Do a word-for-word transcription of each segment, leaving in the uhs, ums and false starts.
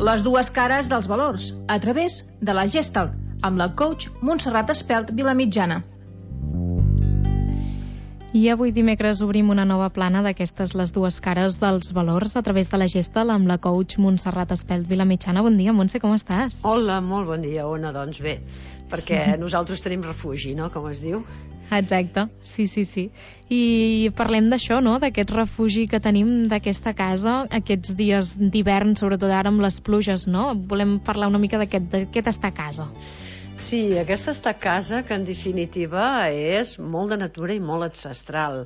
Les dues cares dels valors, a través de la Gestalt, amb la coach Montserrat Espelt Vilamitjana. I avui dimecres obrim una nova plana d'aquestes les dues cares dels valors a través de la Gestalt amb la coach Montserrat Espelt Vilamitjana. Bon dia, Montse, com estàs? Hola, molt bon dia, Ona. Doncs bé, perquè nosaltres tenim refugi, no?, com es diu. Exacte, sí, sí, sí. I parlem d'això, no?, d'aquest refugi que tenim d'aquesta casa aquests dies d'hivern, sobretot ara amb les pluges, no? Volem parlar una mica d'aquest estar a casa. Sí, aquesta estar a casa, que en definitiva és molt de natura i molt ancestral,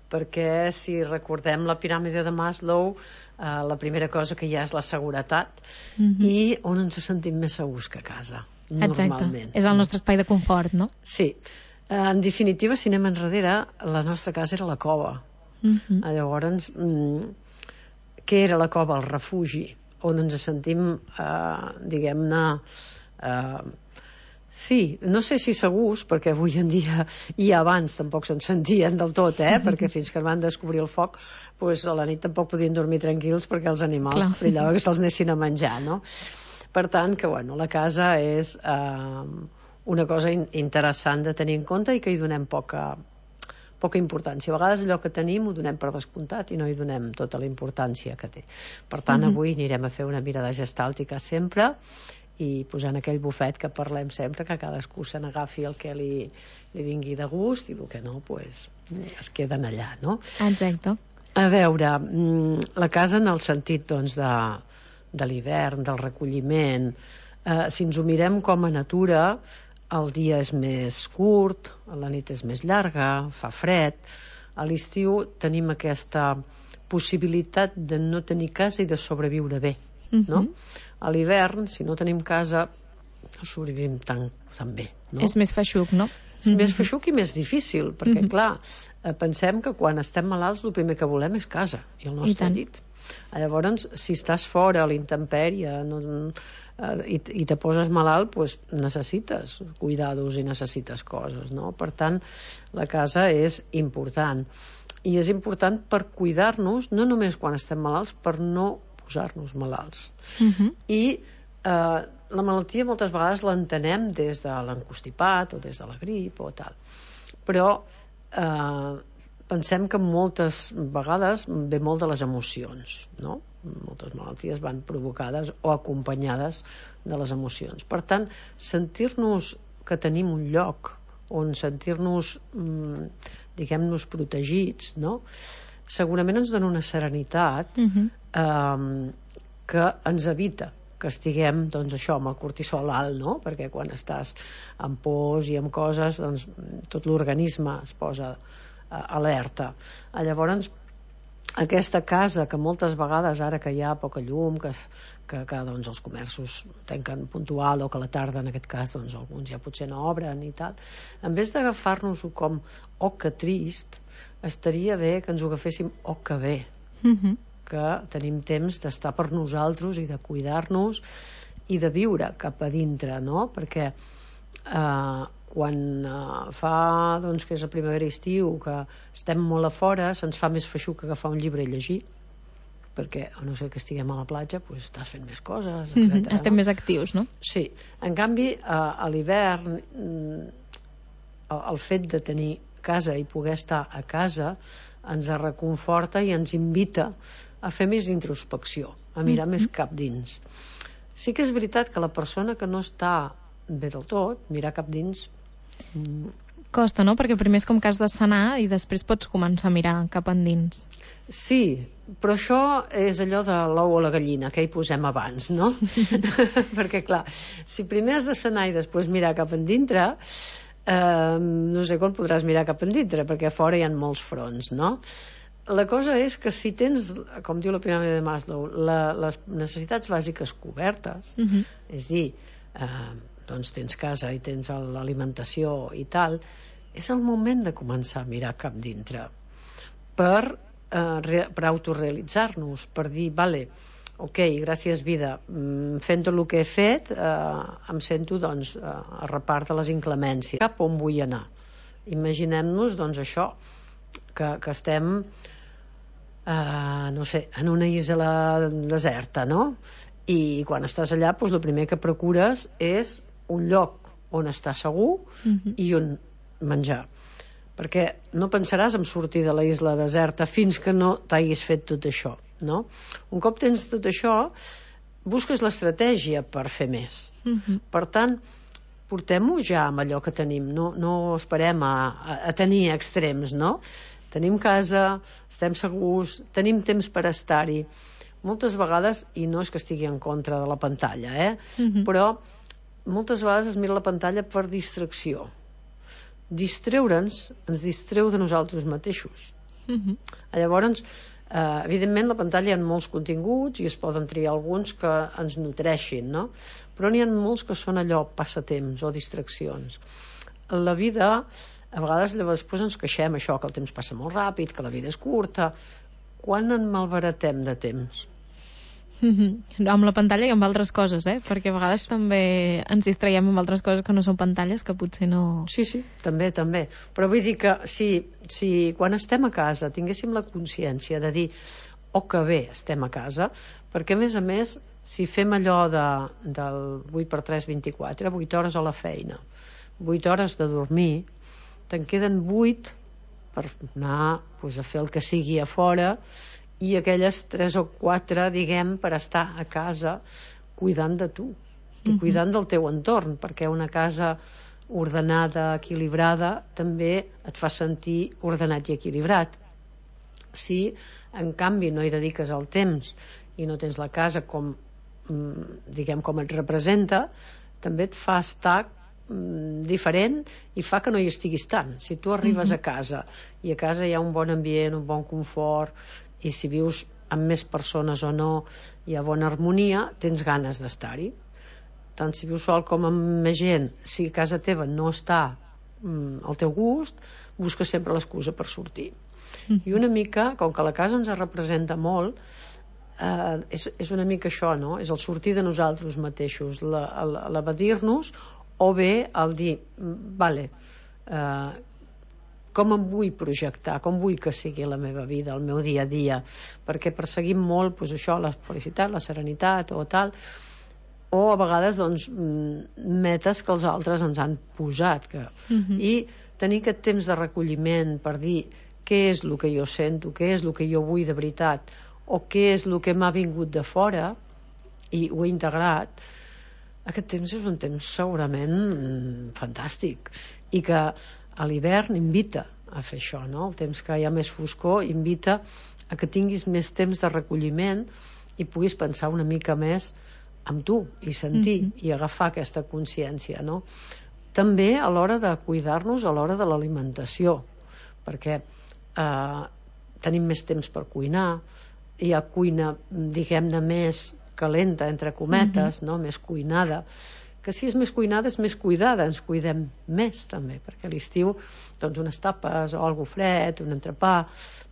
perquè si recordem la piràmide de Maslow, eh, la primera cosa que hi ha és la seguretat, mm-hmm. i on ens sentim més segurs que a casa, normalment. Exacte, és el nostre espai de confort, no? Sí. En definitiva, si anem enrere, la nostra casa era la cova. Mm-hmm. Llavors, mm, què era la cova? El refugi, on ens sentim, eh, diguem-ne, eh, sí, no sé si segurs, perquè avui en dia i abans tampoc se'n sentien del tot, eh? Perquè fins que van descobrir el foc, pues, a la nit tampoc podien dormir tranquils perquè els animals brillava que se'ls anessin a menjar, no? Per tant, que bueno, la casa és eh, una cosa in interessant de tenir en compte i que hi donem poca, poca importància. A vegades allò que tenim ho donem per descomptat i no hi donem tota la importància que té. Per tant, mm-hmm. avui anirem a fer una mirada gestàltica sempre i posant aquell bufet que parlem sempre, que cadascú se n'agafi el que li, li vingui de gust i el que no, pues, es queden allà, no? Exacte. A veure, la casa en el sentit, doncs, de, de l'hivern, del recolliment, eh, si ens ho mirem com a natura, el dia és més curt, la nit és més llarga, fa fred. A l'estiu tenim aquesta possibilitat de no tenir casa i de sobreviure bé, mm-hmm. no? A l'hivern, si no tenim casa, no sobrevivim tan, tan bé, no? És més feixuc, no? És mm-hmm. més feixuc i més difícil, perquè, mm-hmm. clar, pensem que quan estem malalts el primer que volem és casa i el nostre I llit. Llavors, si estàs fora a la intempèrie, no, i, i te poses malalt, pues necessites cuidados i necessites coses, no? Per tant, la casa és important i és important per cuidar-nos, no només quan estem malalts, per no posar-nos malalts. Uh-huh. I eh, la malaltia moltes vegades l'entenem des de l'encostipat o des de la grip o tal, però eh, pensem que moltes vegades ve molt de les emocions, no? Moltes malalties van provocades o acompanyades de les emocions. Per tant, sentir-nos que tenim un lloc on sentir-nos, mm, diguem-nos, protegits, no? Segurament ens dona una serenitat uh-huh. eh, que ens evita que estiguem, doncs, això, amb el cortisol alt, no? Perquè quan estàs amb pors i amb coses, doncs, tot l'organisme es posa eh, alerta. Llavors, aquesta casa que moltes vegades, ara que hi ha poca llum, que, que, que doncs, els comerços tanquen puntual o que a la tarda, en aquest cas, doncs, alguns ja potser no obren i tal, en vez d'agafar-nos-ho com oh, que trist, estaria bé que ens ho agaféssim oh, que bé, mm-hmm. que tenim temps d'estar per nosaltres i de cuidar-nos i de viure cap a dintre, no? Perquè eh, quan eh, fa, doncs, que és la primavera i estiu, que estem molt a fora, se'ns fa més feixuc agafar un llibre i llegir, perquè, a no ser que estiguem a la platja, doncs estàs fent més coses, etcètera. Mm-hmm. Estem no? més actius, no? Sí. En canvi, eh, a l'hivern, el, el fet de tenir casa i poder estar a casa ens reconforta i ens invita a fer més introspecció, a mirar mm-hmm. més cap dins. Sí que és veritat que la persona que no està bé del tot, mirar cap dins costa, no? Perquè primer és com que has de sanar i després pots començar a mirar cap endins. Sí, però això és allò de l'ou o la gallina, que hi posem abans, no? Perquè, clar, si primer has de sanar i després mirar cap endintre, eh, no sé quan podràs mirar cap endintre, perquè a fora hi ha molts fronts, no? La cosa és que si tens, com diu la piràmide de Maslow, la, les necessitats bàsiques cobertes, uh-huh. és dir, eh, doncs tens casa i tens l'alimentació i tal, és el moment de començar a mirar cap dintre per, eh, per autorealitzar-nos, per dir, vale, ok, gràcies vida, fent tot el que he fet, eh, em sento, doncs, a repart de les inclemències. Cap on vull anar? Imaginem-nos, doncs, això, que, que estem, eh, no sé, en una isla deserta, no? i quan estàs allà, doncs, el primer que procures és un lloc on estar segur uh-huh. i on menjar, perquè no pensaràs en sortir de la isla deserta fins que no t'hagis fet tot això, no? Un cop tens tot això, busques l'estratègia per fer més. Uh-huh. Per tant, portem-ho ja amb allò que tenim, no, no esperem a, a, a tenir extrems, no? Tenim casa, estem segurs, tenim temps per estar-hi. Moltes vegades, i no és que estigui en contra de la pantalla, eh? Uh-huh. però moltes vegades es mira la pantalla per distracció. Distreure'ns ens distreu de nosaltres mateixos. Uh-huh. Llavors, eh, evidentment, la pantalla hi ha molts continguts i es poden triar alguns que ens nutreixin, no? Però n'hi ha molts que són allò passatemps o distraccions. La vida, a vegades després ens queixem això, que el temps passa molt ràpid, que la vida és curta. Quan en malbaratem de temps? Mm-hmm. Amb la pantalla i amb altres coses, eh? Perquè a vegades també ens distraiem amb altres coses que no són pantalles, que potser no... Sí, sí, també, també. Però vull dir que si, si quan estem a casa tinguéssim la consciència de dir oh, que bé, estem a casa, perquè a més a més, si fem allò de, del vuit per tres, vint-i-quatre, vuit hores a la feina, vuit hores de dormir, te'n queden vuit per anar doncs, a fer el que sigui a fora, i aquelles tres o quatre, diguem, per estar a casa cuidant de tu i cuidant del teu entorn, perquè una casa ordenada, equilibrada, també et fa sentir ordenat i equilibrat. Si, en canvi, no hi dediques el temps i no tens la casa com, diguem, com et representa, també et fa estar diferent i fa que no hi estiguis tant. Si tu arribes uh-huh. a casa i a casa hi ha un bon ambient, un bon confort, i si vius amb més persones o no hi ha bona harmonia, tens ganes d'estar-hi. Tant si vius sol com amb més gent, si a casa teva no està mm, al teu gust, busques sempre l'excusa per sortir. Mm. I una mica, com que la casa ens representa molt, eh, és, és una mica això, no? És el sortir de nosaltres mateixos, l'abadir-nos, o bé el dir, vale, eh, com em vull projectar, com vull que sigui la meva vida, el meu dia a dia, perquè perseguim molt doncs, això, la felicitat, la serenitat o tal, o a vegades doncs, metes que els altres ens han posat que... uh-huh. i tenir aquest temps de recolliment per dir què és el que jo sento, què és el que jo vull de veritat, o què és el que m'ha vingut de fora i ho he integrat, aquest temps és un temps segurament fantàstic i que a l'hivern invita a fer això, no? El temps que hi ha més foscor invita a que tinguis més temps de recolliment i puguis pensar una mica més amb tu i sentir mm-hmm. i agafar aquesta consciència, no? També a l'hora de cuidar-nos, a l'hora de l'alimentació, perquè eh, tenim més temps per cuinar, hi ha cuina, diguem-ne, més calenta, entre cometes, mm-hmm. no? Més cuinada, que si és més cuinada és més cuidada, ens cuidem més també, perquè a l'estiu doncs unes tapes o algo fred, un entrepà,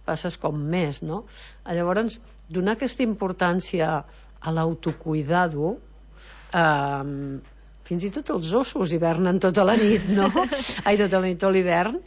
passes com més, no? Llavors, donar aquesta importància a l'autocuidado, eh, fins i tot els ossos hivernen tota la nit, no? Ai, tota la nit, tot l'hivern.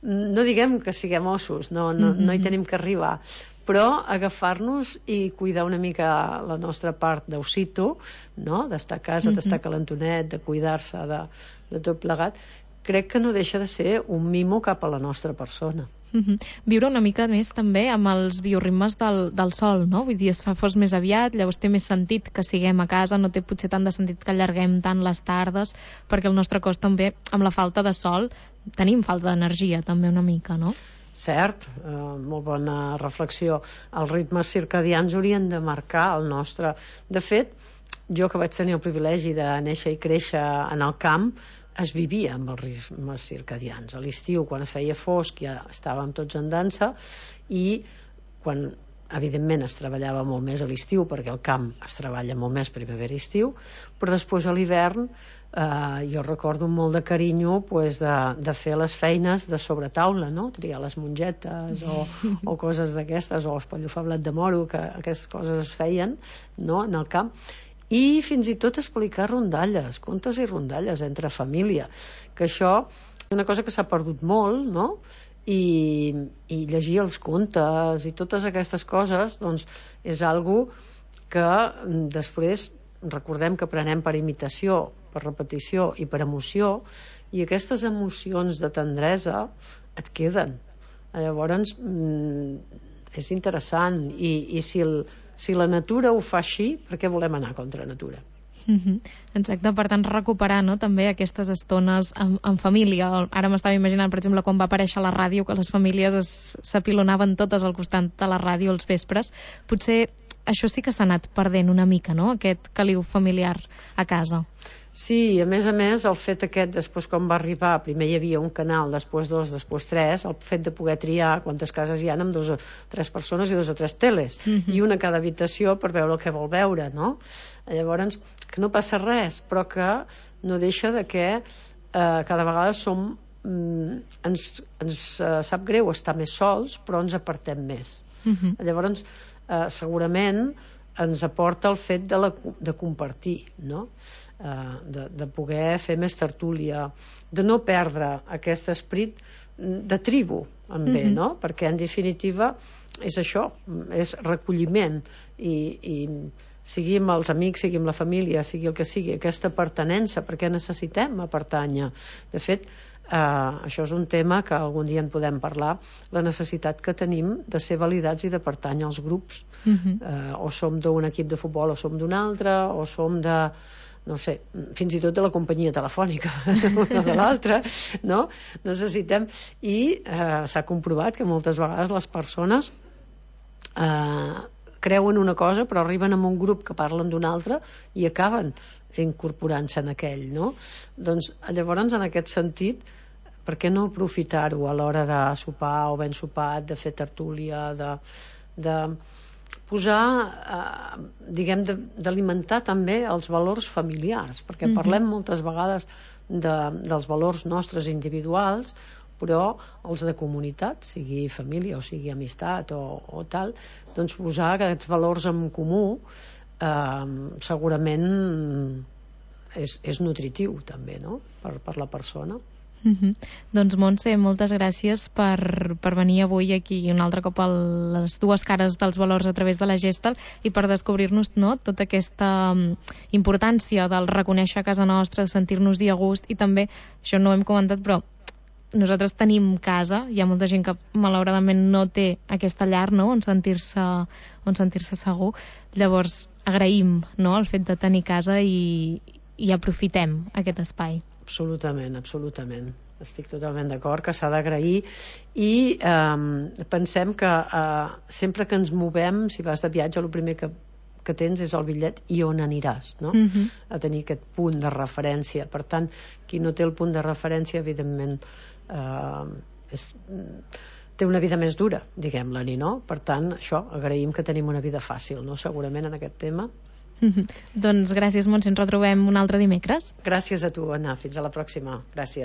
No diguem que siguem ossos, no, no, no hi tenim que arribar, però agafar-nos i cuidar una mica la nostra part d'ossito, no? D'estar a casa, mm-hmm. d'estar calentonet, de cuidar-se de, de tot plegat, crec que no deixa de ser un mimo cap a la nostra persona. Mm-hmm. Viure una mica més també amb els bioritmes del, del sol, no? Vull dir, es fa fos més aviat, llavors té més sentit que siguem a casa, no té potser tant de sentit que allarguem tant les tardes, perquè el nostre cos també, amb la falta de sol, tenim falta d'energia també una mica, no? Cert, eh, molt bona reflexió. Els ritmes circadians haurien de marcar el nostre... De fet, jo que vaig tenir el privilegi de néixer i créixer en el camp, es vivia amb els ritmes circadians. A l'estiu, quan es feia fosc, ja estàvem tots en dansa, i quan, evidentment, es treballava molt més a l'estiu, perquè al camp es treballa molt més primavera i estiu, però després a l'hivern Uh, jo recordo molt de carinyo pues, de, de fer les feines de sobretaula, no? Triar les mongetes o, o coses d'aquestes, o espellofar blat de moro, que aquestes coses es feien, no? En el camp, i fins i tot explicar rondalles, contes i rondalles entre família, que això és una cosa que s'ha perdut molt, no? I, i llegir els contes i totes aquestes coses doncs, és algo que després recordem que prenem per imitació, per repetició i per emoció, i aquestes emocions de tendresa et queden. Llavors és interessant, i, i si, el, si la natura ho fa així, per què volem anar contra natura? Mm-hmm. Exacte, per tant recuperar, no, també aquestes estones en, en família. Ara m'estava imaginant, per exemple, quan va aparèixer la ràdio, que les famílies s'apilonaven totes al costat de la ràdio els vespres. Potser això sí que s'ha anat perdent una mica, no?, aquest caliu familiar a casa. Sí, a més a més, el fet aquest, després quan va arribar, primer hi havia un canal, després dos, després tres, el fet de poder triar quantes cases hi ha amb dos o tres persones i dos o tres teles, mm-hmm. i una a cada habitació per veure el que vol veure, no? Llavors, que no passa res, però que no deixa de que eh, cada vegada som, mm, ens, ens eh, sap greu estar més sols, però ens apartem més. Mm-hmm. Llavors, eh, segurament ens aporta el fet de, la, de compartir, no? Uh, de, de poder fer més tertúlia, de no perdre aquest esperit de tribu en bé, mm-hmm. no? Perquè en definitiva és això, és recolliment, i, i sigui amb els amics, sigui amb la família, sigui el que sigui, aquesta pertinença, perquè necessitem pertànyer. De fet, uh, això és un tema que algun dia en podem parlar, la necessitat que tenim de ser validats i de pertànyer als grups. Mm-hmm. uh, o som d'un equip de futbol o som d'un altre, o som de no sé, fins i tot de la companyia telefònica una de l'altra, no? Necessitem, i eh, s'ha comprovat que moltes vegades les persones eh, creuen una cosa però arriben a un grup que parlen d'una altra i acaben incorporant-se en aquell, no? Doncs llavors, en aquest sentit, per què no aprofitar-ho a l'hora de sopar o ben sopat, de fer tertúlia, de, de posar, eh, diguem, d'alimentar també els valors familiars, perquè mm-hmm. parlem moltes vegades de, dels valors nostres individuals, però els de comunitat, sigui família o sigui amistat o, o tal, doncs posar aquests valors en comú eh, segurament és, és nutritiu també, no?, per, per la persona. Mm-hmm. Doncs Montse, moltes gràcies per, per venir avui aquí un altre cop a les dues cares dels valors a través de la Gestalt i per descobrir-nos, no, tota aquesta importància del reconèixer a casa nostra, sentir-nos-hi a gust, i també, això no ho hem comentat, però nosaltres tenim casa, hi ha molta gent que malauradament no té aquesta llar, no?, on sentir-se on sentir-se segur. Llavors agraïm, no?, el fet de tenir casa i, i aprofitem aquest espai. Absolutament, absolutament. Estic totalment d'acord que s'ha d'agrair, i eh, pensem que eh, sempre que ens movem, si vas de viatge, el primer que, que tens és el bitllet i on aniràs, no? Mm-hmm. A tenir aquest punt de referència. Per tant, qui no té el punt de referència, evidentment, eh, és, té una vida més dura, diguem-la-ni, no? Per tant, això, agraïm que tenim una vida fàcil, no?, segurament en aquest tema. Mm-hmm. Doncs gràcies, Montse, ens retrobem un altre dimecres. Gràcies a tu, Anna, fins a la pròxima. Gràcies.